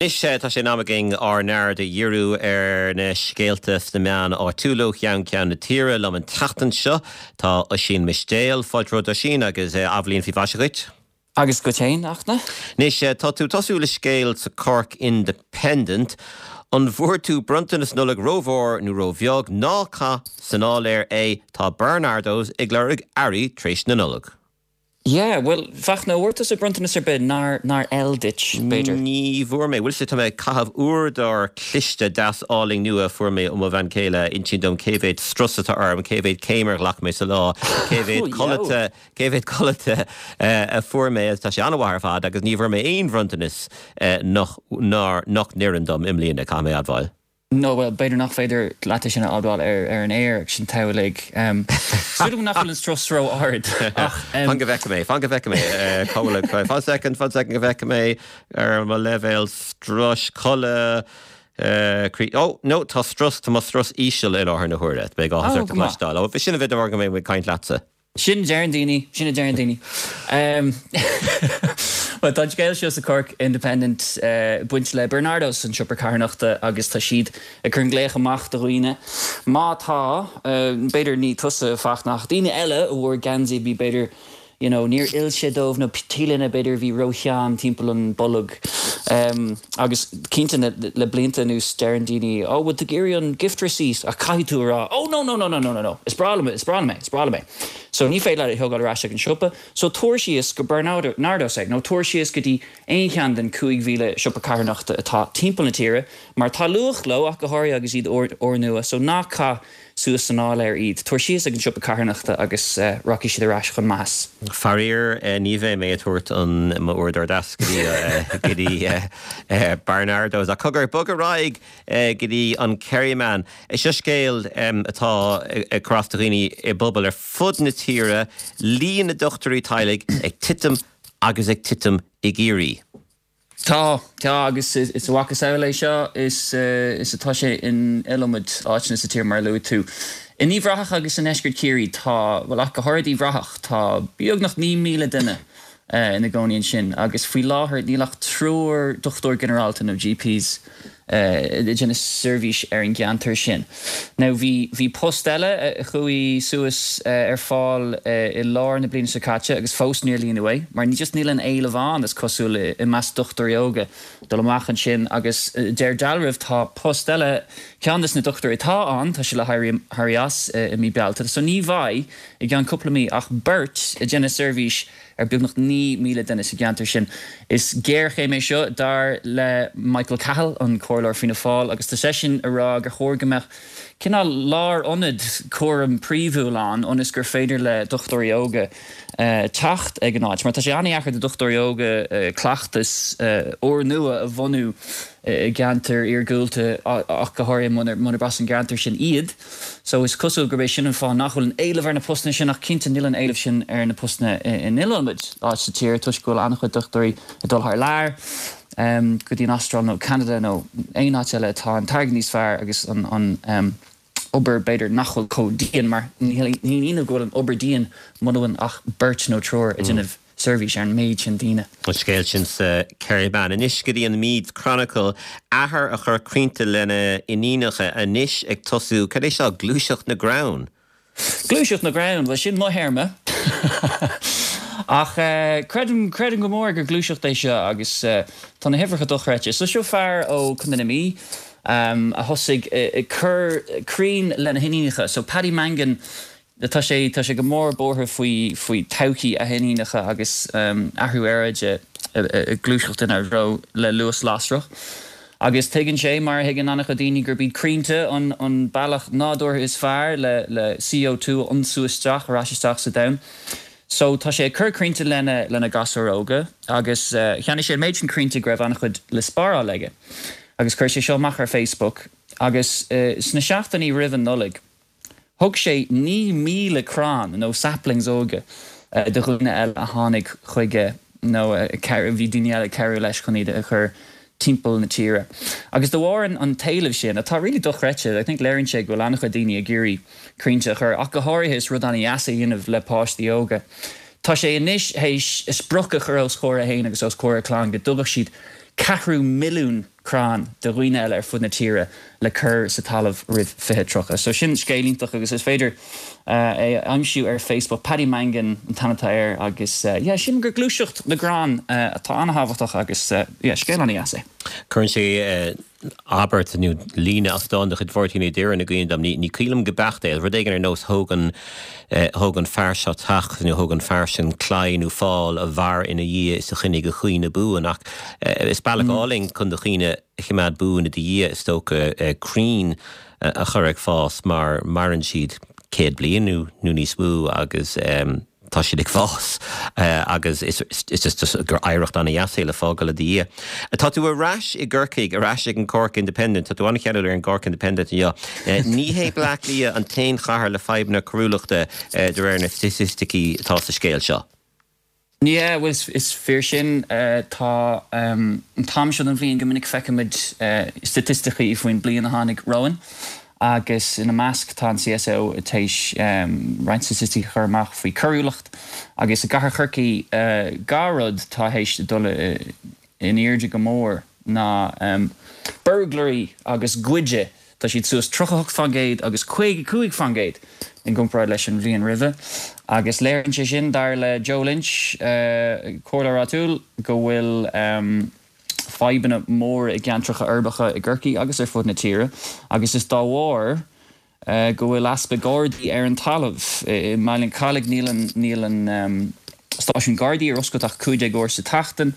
Anois tá sé in am againn ár n-aird a dhíriú ar na scéalta sna meáin áitiúla ó cheann ceann na tíre. Liom an tseachtain seo tá Oisín Mistéil. Fáilte romhat Oisín agus athbhliain faoi mhaise dhuit. Agus duit féin, a Fhachtna. Anois tá tú ag tosú le scéal sa Cork Independent. An bhfuair tú bronntanas Nollag rómhór nó róbheag? Ná caith san áiléar é, tá Barnardo's ag lorg earraí tar éis na Nollag. Yeah, bhuel, Fachtna, an bhfuair tusa bronntanas ar bith nár, nár fheil duit, b'fhéidir? Ní bhfuair mé. Bhfuil 'fhios a'd, tá mé ag caitheamh uaireadóir cliste deas álainn nua a fuair mé ó mo bhean chéile, a insíonn dom cé mhéad strus atá orm, cé mhéad céim ar ghlac mé sa lá, cé mhéad codlata, cé mhéad codlata a fuair mé agus tá sé an-mhaith ar fad agus ní bhfuair mé aon bhronntanas nach, nár, nach n-oireann dom i mbliana, caithfidh mé a admháil. Nó, bhuel, b'fhéidir nach féidir leat é sin a admháil ar an aer agus sin togha uilig. Súil agam nach bhfuil an strus ró-ard, ach. Fan go bhfeicfidh mé, fan go bhfeicfidh mé, cá bhfuil an, fan soicind, fan soicind go bhfeicfidh mé ar mo leibhéal struis, codladh, croí, oh, no, tá strus, tá mo strus íseal i láthair na huaire. Beidh áthas ort a chloisteáil. Ó, sin a bheith de bharr go mbeidh mé ag caint leatsa. Sin a deireann daoine, sin a deireann daoine. Bhuel, tá an scéal seo sa Cork Independent ag baint le Barnardos, an siopa carthanachta, agus tá siad ag cur an glaoch amach do dhaoine, má tá, b'fhéidir ní tusa, a Fachtna, ach daoine eile a bhfuair geansaí a bhí b'fhéidir, you know, níor fheil sé dóibh nó t-léine b'fhéidir a bhí rótheann timpeall an bolg. Agus cinnte le blianta anuas deireann daoine, oh, bhfuil tú ag iarraidh an gift receipt? Ach caithfidh tú a rá, oh no, no, no, no, no, no, no, is breá liom é, is breá liom é, is breá liom é. So ní féidir leat é a thógáil ar ais ag an siopa, so tabhair síos go Barnardos é, nó tabhair síos go dtí aon cheann den 5,000 siopa carthanachta atá timpeall na tíre, mar tá luach leo, ach go háirithe agus iad úrnua, so ná caith suas san áiléar iad. Tabhair síos ag an siopa carthanachta agus rachaidh siad ar ais chun maitheas. Faraor, ní bheidh mé ag tabhairt an mo uaireadóir deas go dtí go dtí Barnardo's. Ach cogar, bog ar aghaidh go dtí an Kerryman. Seo scéal atá ag cur as do dhaoine i bpobail ar fud na tíre, líon na ndochtúirí teaghlaigh ag titim agus ag titim i gCiarraí. Tá, tá, agus is a mhacasamhail é seo is is atá sé in iliomad áiteanna sa tír, mar a luaigh tú. In Uíbh Ráthach agus i ndeisceart Chiarraí tá, bhuel ach go háirid Uíbh Ráthach, tá beagnach 9,000 duine ina gcónaí ansin agus faoi láthair níl ach triúr dochtúir ginearálta nó GPs ag déanamh seirbhís ar an gceantar sin. Now bhí, bhí post eile a chuaigh suas ar fáil i lár na bliana seo caite agus fós níor líonadh é mar ní, just níl an éileamh ann is cosúil i measc dochtúirí óga dul amach ansin agus deir dealramh tá post eile, ceann des na dochtúirí atá ann, tá sé le héirí, éirí as i mí Bealtaine so ní bheidh i gceann cúpla mí ach beirt ag déanamh seirbhís ar beagnach 9,000 duine sa gceantar sin. Is géarchéim é seo, dar le Michael Cahill, an comhairleoir Fianna Fáil, agus tá seisean ag rá gur chóir go mbeadh cineál lárionad cúraim príomhúil ann ionas gur féidir le dochtúirí óga teacht ag an áit, mar tá sé an-dheacair do dochtúirí óga cleachtas úrnua a bhunú i gceantar iargúlta ach go háirithe munarb as an gceantar sin iad. So is cosúil gurb é sin an fáth nach bhfuil an éileamh ar na postanna sin ach cinnte níl an éileamh sin ar na postanna in iliomad áit sa tír toisc go bhfuil an-chuid dochtúirí ag dul thar lear go dtí an Astráil nó Ceanada nó aon áit eile atá an t-airgead níos fearr agus an an obair b'fhéidir nach bhfuil chomh dian mar ní haon ionadh go bhfuil an obair dian muna bhfuil ach beirt nó triúr ag déanamh seirbhís ar an méid sin daoine. An scéal sin sa Kerryman. Anois go dtí an Meath Chronicle. Athair a chuir crainnte lena iníonacha anois ag tosú, cad é seo, Gluaiseacht na gCrann? Gluaiseacht na gCrann, bhuel sin mo théarma. Ach creidim, creidim go mór gur gluaiseacht é seo agus tá na huimhreacha dochreidte. So seo fear ó Contae na Mí a thosaigh ag cur crainn lena hiníonacha. So Paddy Mangan, Tá sé, tá sé go mór buartha faoi, faoi todhchaí a hiníonacha agus athrú aeráide ag gluaiseacht inár dtreo le luas lasrach. Agus tuigeann sé, mar a thuigeann an-chuid daoine, gurb iad crainnte an, an bealach nádúrtha is fearr le, le CO2 a ionsú isteach, ar ais isteach sa domhan. So tá sé ag cur crainnte lena, lena ghasúir óga agus cheannaigh sé an méid sin crainnte go raibh an-chuid le spáráil aige. Agus chuir sé seo amach ar Facebook agus sna seachtainí roimh an Nollaig, Thug sé 9,000 crann nó saplings óga do dhaoine eile a tháinig chuige nó bhí daoine eile ag cabhrú leis chun iad a chur timpeall na tíre. Agus de bharr an t-éileamh sin, atá really dochreidte, I think léiríonn sé go bhfuil an-chuid daoine ag iarraidh crainnte a chur, ach go háirithe is rud an-dheas é a dhéanamh le páistí óga. Tá sé anois théis sprioc a chur os comhair é féin agus os comhair a chlann go dtugadh siad. Ceathrú milliún crann do dhaoine eile ar fud na tíre le cur sa talamh roimh 2030. So sin scéal iontach agus is féidir é a aimsiú ar Facebook. Paddy Mangan an t-ainm atá air agus yeah sílim gur gluaiseacht na gcrann atá an-thábhachtach agus yeah scéal an-dheas é. Cuireann sé abairt nó líne as dán de chuid Mháirtín Uí Dhireáin i gcuimhne dom, ní cuimhin liom go beacht é, rud éigin ar nós thóg an, thóg an fear seo teach nó thóg an fear sin claí nó fál a mhair ina dhiaidh is a choinnigh a chuimhne buan. Ach is bealach álainn chun do chuimhne a choimeád buan i do dhiaidh, is dócha, crainn a chur ag fás mar maireann siad 100 bliain nó níos mó agus tá siad ag fás agus is just gur oidhreacht an-dheas é le fágáil i do dhiaidh. Tá tú ar ais i gCorcaigh, ar ais ag an Cork Independent, tá tú an-cheanúil ar an gCork Independent inniu. Ní hé Bleá Cliath an t-aon chathair le fadhbanna coiriúlachta de réir na staitisticí atá sa scéal seo. Yeah, bhuel is fíor sin. Tá an t-am seo den bhliain go minic feicimid staitisticí faoin bliain a tháinig romhainn agus ina measc tá an CSO tar éis roinnt staitisticí a chur amach faoi choiriúlacht agus i gcathair Chorcaí dhá rud atá théis dul in airde go mór ná burglary agus goid. Tá siad suas 38% agus 55% i gcomparáid leis an bhliain roimhe agus léiríonn sé sin, dar le Joe Lynch, comhairleoir áitiúil, go bhfuil fadhbanna móra i gceantracha uirbeacha i gCorcaigh agus ar fud na tíre agus is dá bharr go bhfuil easpa Gardaí ar an talamh. I mBaile an Chalaigh níl an níl an stáisiún Gardaí ar oscailt ach 15 uair sa tseachtain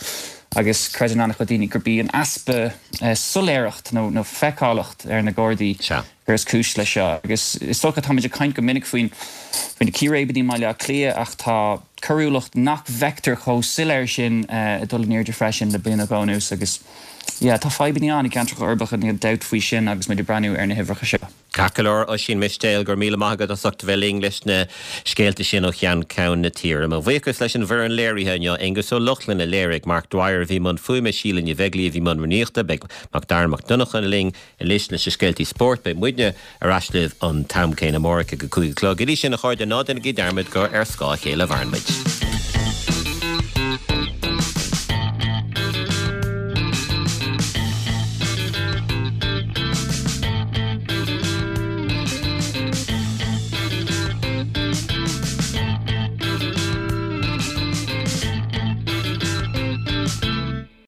agus creideann an-chuid daoine gurb í an easpa soiléireacht nó nó feiceálacht ar na Gardaí gur is cúis leis seo. Agus is dócha táimid ag caint go minic faoin faoi na círéibeanna i mBaile Átha Cliath ach tá coiriúlacht nach bhfeictear chomh soiléir sin ag dul in airde freisin le bliain nó dhó anuas agus yeah tá fadhbanna ann i gceantracha uirbeacha níl dabht faoi sin agus muid ag breathnú ar na huimhreacha seo. Ceart go leor, Oisín Mistéil, go raibh míle maith agat as ucht a bheith linn leis na scéalta sin ó cheann ceann na tíre. Mo bhuíochas leis an bhfoireann léirithe inniu, Aengus Ó Lochlainn a léirigh, Mark Dwyer a bhí i mbun fuaime, Síle Ní Bheaglaoí a bhí i mbun rúnaíochta, beidh Macdara Mac Donncha linn anois leis na scéaltaí spóirt, beidh muidne ar ais libh an t-am céanna amárach ag a 5 a chlog. Go dtí sin, a chairde, ná déanaigí dearmad gur ar scáth a chéile a mhaireann muid.